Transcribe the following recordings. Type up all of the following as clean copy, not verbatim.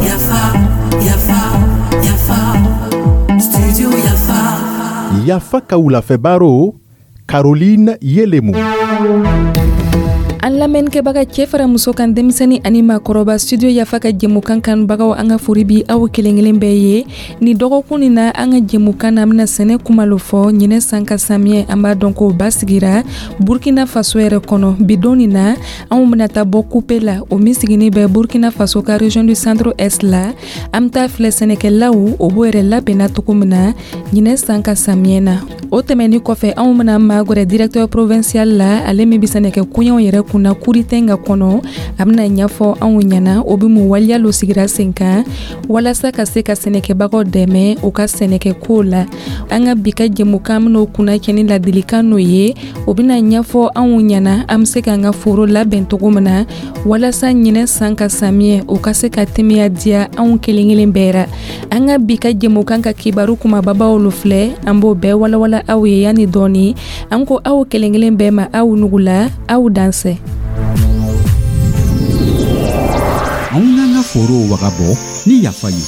Yafa, yafa, yafa, studio Yafa. Yafa ka wulafɛ baro, Caroline Yelemu. An lamɛnnikɛbaga, cɛ fara muso kan, denmisɛnni ani maakɔrɔba, Studio Yafa ka jɛmukan kanubagaw, an ka fori bi aw kelen kelen bɛɛ ye. Ni dɔgɔkun nin na, an ka jɛmukan na, an bɛna sɛnɛ kuma lo fɔ. Ɲinɛ san ka samiyɛ, an b'a dɔn ko ba sigira Burkina Faso yɛrɛ kɔnɔ. Bi don nin na, anw bɛna taa bɔ Kupe la, o min siginin bɛ Burkina Faso ka région du Centre Est la. An bɛ taa filɛ sɛnɛkɛlaw o b'o yɛrɛ labɛnna cogo min na ɲinɛ san ka samiyɛ na. O tɛmɛni kɔfɛ, anw bɛna magɛrɛ directeur provincial la, ale min bɛ sɛnɛkɛ koɲɛw yɛrɛ kunna Kuritenga kɔnɔ. A bɛna ɲɛfɔ anw ɲɛna o bɛ mun waleya lo sigira sen kan walasa ka se ka sɛnɛkɛbagaw dɛmɛ u ka sɛnɛkɛkow la. An ka bi ka jɛmukan bɛn'o kunna cɛ ni ladilikan n'o ye. O bɛna ɲɛfɔ anw ɲɛna an bɛ se k'an ka foro labɛn cogo min na walasa ɲinɛ san ka samiyɛ o ka se ka temiya diya anw kelen kelen bɛɛ ra. An ka bi ka jɛmukan ka kibaru kumababaw lo filɛ, an b'o bɛɛ walawala aw ye yanni dɔɔni. An ko aw kelen kelen bɛɛ ma, aw nugula, aw dansɛ. Anw k'an ka forow wagabɔ ni Yafa ye.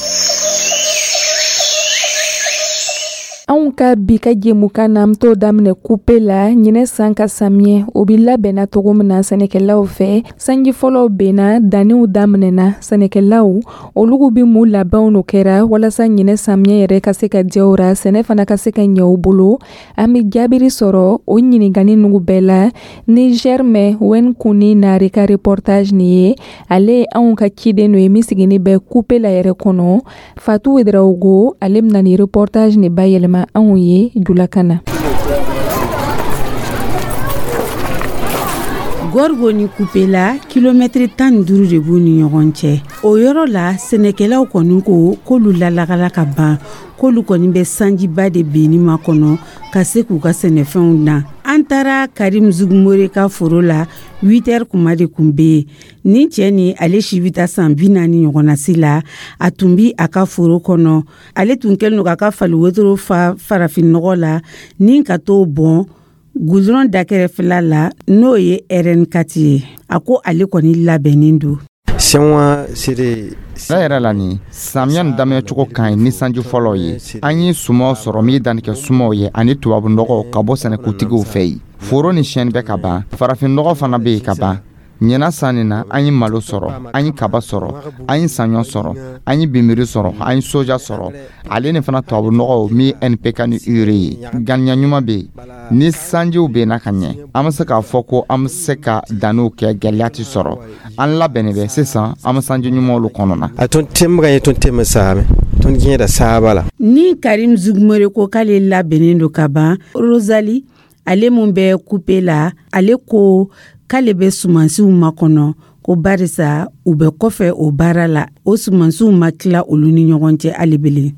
Anw ka bi ka jɛmukan na, an t'o daminɛ Kupe la. Ɲinɛ san ka samiyɛ o bi labɛnna cogo min na sɛnɛkɛlaw fɛ, sanji fɔlɔw benna, danniw daminɛna, sɛnɛkɛlaw olugu bi mun labɛnw no kɛra walasa ɲinɛ samiyɛ yɛrɛ ka se ka diya u ra, sɛnɛ fana ka se ka ɲɛ u bolo? An be jaabiri sɔrɔ o ɲininkani nugu bɛɛ la ni Germain Wen Kuni Nare ka reportage nin ye. Ale ye anw ka ciden no ye min sigini bɛ Kupe la yɛrɛ kɔnɔ. Fatu Wedraogo, ale bɛna ni reportage nin bayɛlɛma anw ye julakan na. Gɔrigo ni Kupela, kilomɛtiri 15 de b'u ni ɲɔgɔn cɛ. O yɔrɔ la, sɛnɛkɛlaw kɔni ko k'olu lalagala ka ban, k'olu kɔni bɛ sanjiba de benni makɔnɔ ka se k'u ka sɛnɛfɛnw dan. An taara Karim Zugumore ka foro la, 8 heures kuma de kun bɛ yen. Nin cɛ ni ale si bɛ taa san 40 ɲɔgɔnna si la, a tun bi a ka foro kɔnɔ. Ale tun kɛlen don k'a ka fali wotoro fa farafinnɔgɔ la ni ka t'o bɔn gudɔrɔn dakɛrɛfɛla la, n'o ye RN4 ye. A ko ale kɔni labɛnnen don. Tiɲɛ yɛrɛ la, nin samiya nin daminɛ cogo ka ɲi ni sanji fɔlɔ ye. An ye sumaw sɔrɔ min danni kɛ sumaw ye ani tubabu nɔgɔw ka bɔ sɛnɛkutigiw fɛ yen. Foro ni siyɛnni bɛ ka ban, farafin nɔgɔ fana bɛ yen ka ban. Ɲinan san nin na, an ye malo sɔrɔ, an ye kaba sɔrɔ, an ye saɲɔ sɔrɔ, an ye binbiri sɔrɔ, an ye soja sɔrɔ, ale ni fana tubabu nɔgɔw min ye NPK ni urée ye. Ganiya ɲuman bɛ yen. Ni sanjiw benna ka ɲɛ, an bɛ se k'a fɔ ko an bɛ se ka danniw kɛ, gɛlɛya tɛ sɔrɔ. An labɛnnen bɛ sisan, an bɛ sanji ɲumanw kɔnɔ na. Ni Karim Zugumore ko k'ale labɛnnen don ka ban, Rosali, ale mun bɛ Kupe la, ale ko k'ale bɛ sumansiw makɔnɔ, ko barisa u bɛ kɔfɛ o baara la, o sumansiw ma tila olu ni ɲɔgɔn cɛ hali bilen.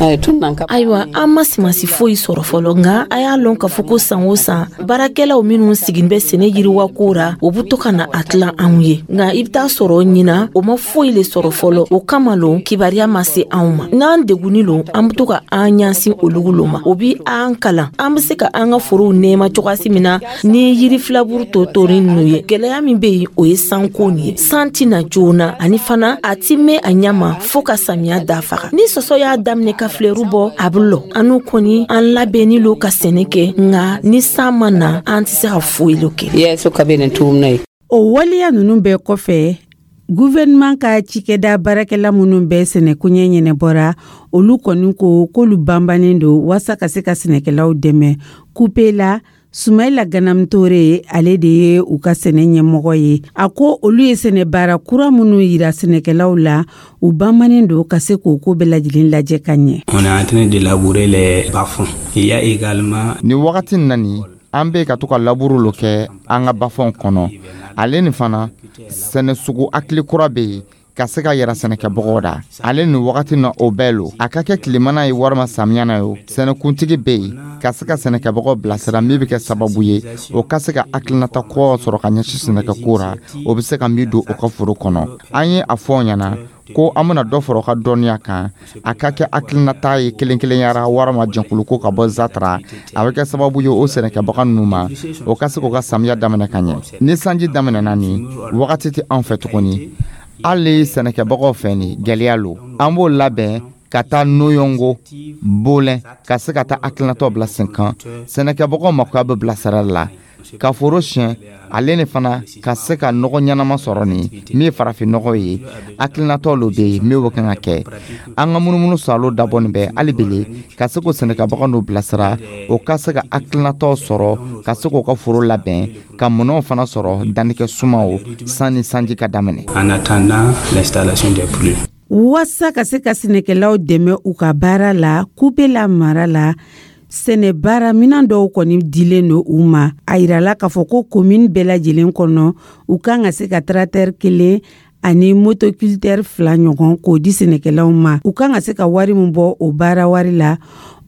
Ayiwa, an ma sumansi foyi sɔrɔ fɔlɔ, nka a y'a lɔn k'a fɔ ko san o san, baarakɛlaw minnu sigin bɛ sɛnɛ yiriwa ko ra, o be to ka na a tilan anw ye. Nka i be taa sɔrɔ ɲina o ma foyi le sɔrɔ fɔlɔ. O kama lo kibariya ma se anw ma. N'an degunni lo, an be to ka an ɲasin olugu lo ma. O bi an kalan an be se ka an ka forow nɛɛma cogoyasi min na ni yiri filaburu totorin ninnu ye. Gwɛlɛya min be yen, o ye sanko nin ye. San tɛ na joona, ani fana a ti mɛn a ɲɛ ma fɔɔ ka samiya da faga. Ni sɔsɔ y'a daminɛ ka filɛru bɔ, a be lɔ. Anu kɔni, an labɛnni lo ka sɛnɛ kɛ, nka ni san ma na, an tɛ se ka foyi lo kɛ. O waleya ninnu bɛɛ kɔfɛ, gouvernement ka cikɛda baarakɛla minnu bɛ sɛnɛkoɲɛ ɲɛnɛbɔra, olu kɔni ko k'olu banbannen don waasa ka se ka sɛnɛkɛlaw dɛmɛ. Kupe la, Sumayila Ganamutore, ale de ye u ka sɛnɛ ɲɛmɔgɔ ye. A ko olu ye sɛnɛ baara kura minnu yira sɛnɛkɛlaw la, u banbannen don ka se k'o ko bɛɛ lajɛlen lajɛ ka ɲɛ. On est en train de labourer les bas-fonds. Il y a également Nin wagati na nin, an bɛ ka to ka laburu lo kɛ an ka bafɔnw kɔnɔ. Ale ni fana, sɛnɛ sugu hakili kura bɛ yen. Ka se ka yɛrɛ sɛnɛkɛbagaw da ale nin wagati na, o bɛɛ lo, a ka kɛ tilemana ye walima samiyana ye, sɛnɛkuntigi bɛ yen ka se ka sɛnɛkɛbagaw bilasira, min bɛ kɛ sababu ye o ka se ka hakilinata kuraw sɔrɔ ka ɲɛsin sɛnɛkɛko ra, o bɛ se ka min don o ka foro kɔnɔ. An ye a fɔ ɲɛna ko an bɛna dɔ fara o ka dɔnniya kan, a ka kɛ hakilinata ye kelen kelenyara walima jɛnkuluko ka bɔ Zatra. A bɛ kɛ sababu ye o sɛnɛkɛbaga ninnu ma, o ka se k'u ka samiya daminɛ ka ɲɛ. Ni sanji daminɛna, ni wagati tɛ anw fɛ tuguni, hali sɛnɛkɛbagaw fɛ, ni gɛlɛya lo. An b'o labɛn ka taa Noyongo, Bolɛn, ka se ka taa hakilinataw bila sen kan. Sɛnɛkɛbagaw makoya bɛ bilasirali la ka foro siɲɛ, ale ni fana ka se ka nɔgɔ ɲɛnama sɔrɔ, nin min ye farafin nɔgɔ ye. Hakilinataw lo bɛ yen min bɛ kan ka kɛ. An ka munumunu salo dabɔ nin bɛ hali bele ka se k'o sɛnɛkɛbagaw n'u bilasira, o ka se ka hakilinataw sɔrɔ, ka se k'u ka foro labɛn, ka minɛnw fana sɔrɔ, dannikɛ sumaw, sanni sanji ka daminɛ. En attendant l'installation des pluies. Waasa ka se ka sɛnɛkɛlaw dɛmɛ u ka baara la Kupela mara la, sɛnɛ baara minan dɔw kɔni dilen don u ma. A yirala k'a fɔ ko komini bɛɛ lajɛlen kɔnɔ, u kan ka se ka tracteur kelen ani motoculteur fila ɲɔgɔn k'o di sɛnɛkɛlaw ma. U kan ka se ka wari min bɔ o baara wari la,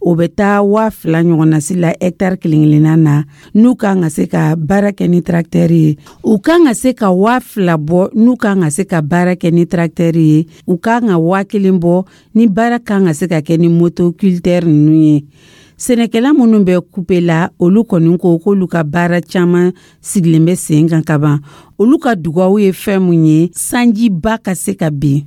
o bɛ taa 2000 ɲɔgɔnnasi la hɛtari kelen kelenna na. N'u kan ka se ka baara kɛ ni tracteur ye, u kan ka se ka 2000 bɔ. N'u kan ka se ka baara kɛ ni tracteur ye, u kan ka 1000 bɔ ni baara kan ka se ka kɛ ni motoculteur ninnu ye. Sɛnɛkɛla minnu bɛ Kupe la, olu kɔni ko k'olu ka baara caman sigilen bɛ sen kan kaban. Olu ka dugawu ye fɛn mun ye? Sanjiba ka se ka bin.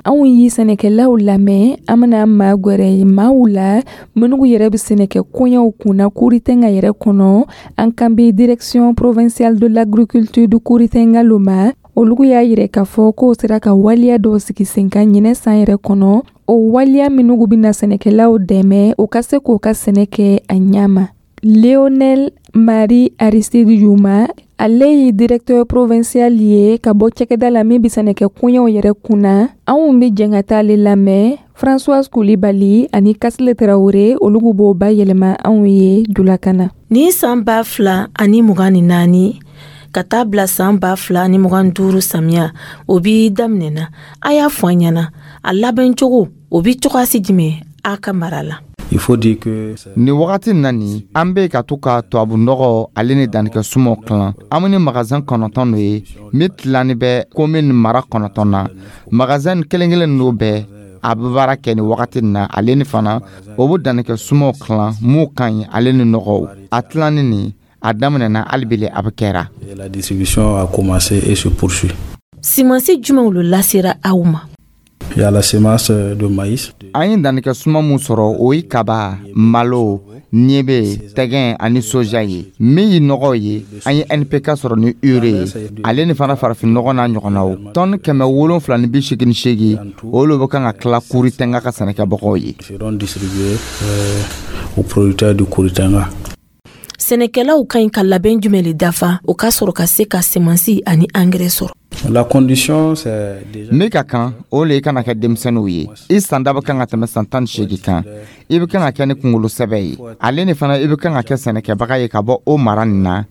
Anw ye sɛnɛkɛlaw lamɛn. An bɛna maa gwɛrɛ maaw la minnu yɛrɛ bɛ sɛnɛkɛ koɲɛw kunna Kouritenga yɛrɛ kɔnɔ. An kan bɛ Direction provinciale de l'agriculture du Kouritenga lo ma. Olu y'a yira k'a fɔ k'o sera ka waleya dɔw sigi sen kan ɲinɛ san yɛrɛ kɔnɔ, o waleya minnu bɛna sɛnɛkɛlaw dɛmɛ u ka se k'u ka sɛnɛ kɛ a ɲɛ ma. Léonel Marie Aristide Yuma, ale ye directeur provincial ye ka bɔ cakɛda la min bɛ sɛnɛkɛ koɲɛw yɛrɛ kunna. Anw bɛ jɛn ka taa ale lamɛn. Françoise Coulibaly ani Kasile Traoré, olu b'o bayɛlɛma anw ye julakan na. Ni san 2024 ka taa bila san 2025 samiya o bi daminɛna, a y'a fɔ an ɲɛna, a labɛn cogo o bi cogoyasi jumɛn a ka mara la? Il faut dire que Nin wagati na nin, an bɛ ka to ka tubabu nɔgɔ ale ni dannikɛ sumaw tilan. An bɛ ni magasin 9 lo ye min tilanni bɛ commune mara 9 na. Magasin kelen kelen ninnu bɛɛ a bɛ baara kɛ nin wagati nin na, ale ni fana o bɛ dannikɛ sumaw tilan mun ka ɲi, ale ni nɔgɔw. A tilanni nin, a daminɛna, hali bele a bɛ kɛra. La distribution a commencé et se poursuit. Simansi jumɛnw lo lasera aw ma? Il y a la semence de maïs. An ye dannikɛ suma mun sɔrɔ, o ye kaba, malo, niebe, tɛgɛn ani soja ye. Min ye nɔgɔ ye, an ye NPK sɔrɔ ni urée ye, ale ni fana farafin nɔgɔ n'a ɲɔgɔnnaw. Tɔni 788, olu bɛ kan ka tila Kouritenga ka sɛnɛkɛbagaw ye. Seront distribués aux producteurs du Kouritenga. Sɛnɛkɛlaw ka ɲi ka labɛn jumɛn le dafa o ka sɔrɔ ka se ka semansi ani angɛrɛ sɔrɔ? La condition, c'est déjà Min ka kan, o le i kana kɛ denmisɛnninw ye. I san da bɛ kan ka tɛmɛ san 18 kan. I bɛ kan ka kɛ ni kunkolo sɛbɛ ye, ale ni fana i bɛ kan ka kɛ sɛnɛkɛbaga ye ka bɔ o mara nin na,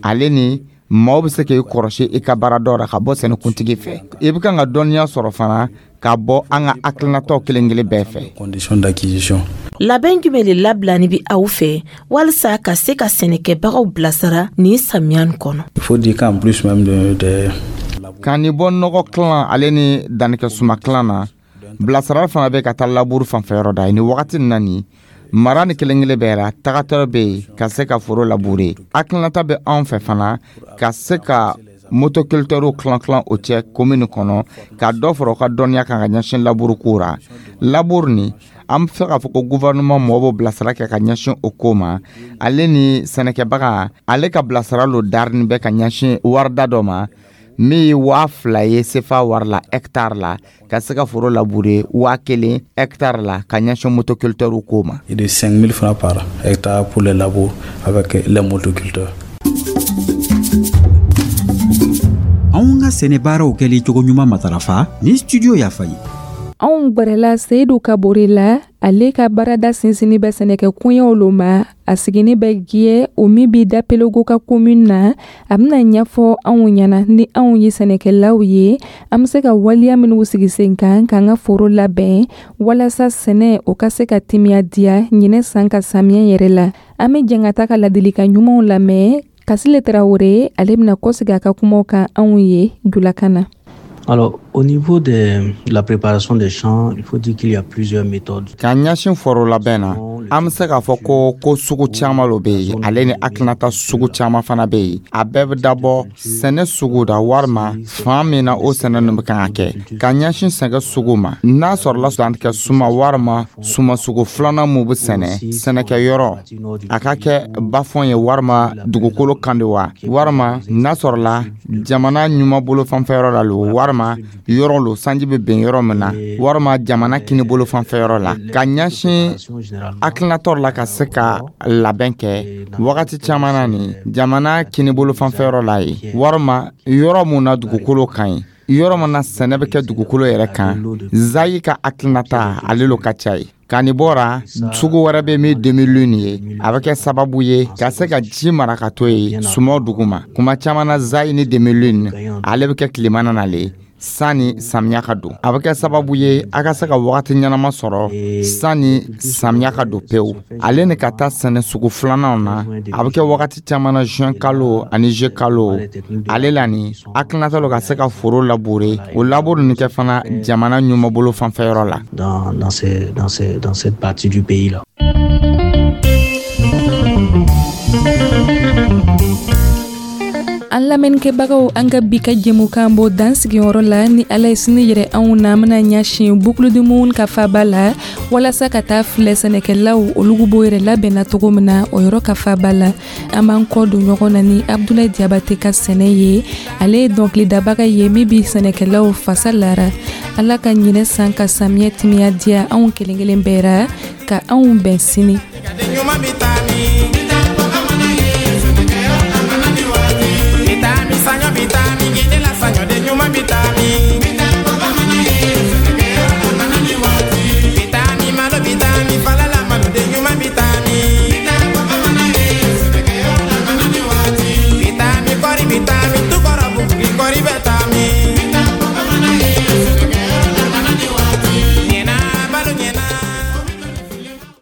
ale ni maaw bɛ se k'i kɔrɔsi i ka baara dɔ la ka bɔ sɛnɛkuntigi fɛ. I bɛ kan ka dɔnniya sɔrɔ fana ka bɔ an ka hakilinataw kelen kelen bɛɛ fɛ. Condition d'acquisition. Labɛn jumɛn le labilani bi aw fɛ walisa ka se ka sɛnɛkɛbagaw bilasira nin samiya nin kɔnɔ? Il faut dire qu'en plus même de Ka nin bɔ nɔgɔ kilan ale ni dannikɛ suma kilan na, bilasirali fana bɛ ka taa labour fanfɛyɔrɔ da. Ni wagati nin na nin, mara ni kelen kelen bɛɛ la, tagatɔ bɛ yen ka se ka foro labourer. Hakilinata bɛ anw fɛ fana ka se ka motoculteurw kilan kilan o cɛ commune kɔnɔ, ka dɔ fara u ka dɔnniya kan ka ɲɛsin labour ko ra. Labour nin, an bɛ fɛ k'a fɔ ko gouvernement mɔgɔw b'o bilasira kɛ ka ɲɛsin o ko ma, ale ni sɛnɛkɛbaga ale ka bilasira lo darini bɛ ka ɲɛsin warida dɔ ma min ye 2000 ye sefa wari la hectare la, ka se ka foro labourer, 1000 hectare la ka ɲɛsin motoculteurw ko ma. Et de 5000 francs par hectare pour les labours avec les motoculteurs. Anw ka sɛnɛ baaraw kɛli cogo ɲuman matarafa ni Studio Yafa ye. Anw gwɛrɛla Seyidu Kabore la. Ale ka baarada sinsinni bɛ sɛnɛkɛ koɲɛw lo ma. A sigini bɛ Giyɛ, o min bi Dapelogo ka commune na. A bena ɲɛfɔ anw ɲɛna, ni anw ye sɛnɛkɛlaw ye, an be se ka waliya minw sigi sen kan k'an ka foro labɛn walasa sɛnɛ o ka se ka timiya diya ɲinɛ san ka samiɲɛ yɛrɛ la. An be jɛn ka ta ka ladilikan ɲumanw lamɛn. Kasile Tarawure, ale bena kɔsegi a ka kumaw kan anw ye julakan na. Alors, au niveau de la préparation des champs, il faut dire qu'il y a plusieurs méthodes. Ka ɲɛsin foro labɛn na, an be se k'a fɔ ko sugu caaman lo be yen, ale ni hakilinata sugu caaman fana be yen. A bɛɛ be dabɔ sɛnɛ sugu da warima fan min na o sɛnɛ nu be kan ka kɛ. Ka ɲɛsin sɛgɛ sugu ma, n'a sɔrɔla dantigɛ suma warima suma sugu filanan mun be sɛnɛ, sɛnɛkɛyɔrɔ a ka kɛ bafɔn ye warima dugukolo kan de wa, warima n'a sɔrɔla jamana ɲuman bolo fanfɛyɔrɔ la lo, warima yɔrɔ lo sanji bɛ ben yɔrɔ min na, warima jamana kini bolo fanfɛyɔrɔ la. Ka ɲɛsin hakilinatɔ la ka se ka labɛn kɛ, wagati caman na nin jamana kini bolo fanfɛyɔrɔ la ye, warima yɔrɔ mun na dugukolo ka ɲi, yɔrɔ min na sɛnɛ bɛ kɛ dugukolo yɛrɛ kan, zayi ka hakilinata ale lo ka ca ye. Ka nin bɔra, sugu wɛrɛ bɛ min demi-lune ye, a bɛ kɛ sababu ye ka se ka ji mara ka to yen sumaw duguma. Kuma caman na, zayi ni demi-lune, ale bɛ kɛ tilema na nale sanni samiya ka don. A bɛ kɛ sababu ye a ka se ka wagati ɲɛnama sɔrɔ sanni samiya ka don pewu. Ale ni ka taa sɛnɛ sugu filananw na, a bɛ kɛ wagati caman na juin kalo ani juillet kalo. Ale la ni hakilinata lo ka se ka foro labourer, o labour nin kɛ fana jamana ɲuman bolo fanfɛyɔrɔ la. Dans cette partie du pays là. An lamɛnnikɛbagaw, an ka bi ka jɛmukan bɔ dan sigiyɔrɔ la. Ni Ala ye sini yɛrɛ anw na, an bena ɲɛsin Boucle du Mouhoun ka faba la walasa ka taa filɛ sɛnɛkɛlaw olugu b'o yɛrɛ labɛnna cogo min na o yɔrɔ ka faba la. An b'an kɔ don ɲɔgɔn na ni Abdulayi Jabate ka sɛnɛ ye. Ale ye dɔnkilidabaga ye min bi sɛnɛkɛlaw fasa lara. Ala ka ɲinɛ san ka samiyɛ timiya diya anw kelen kelen bɛɛ ra, ka anw bɛn sini.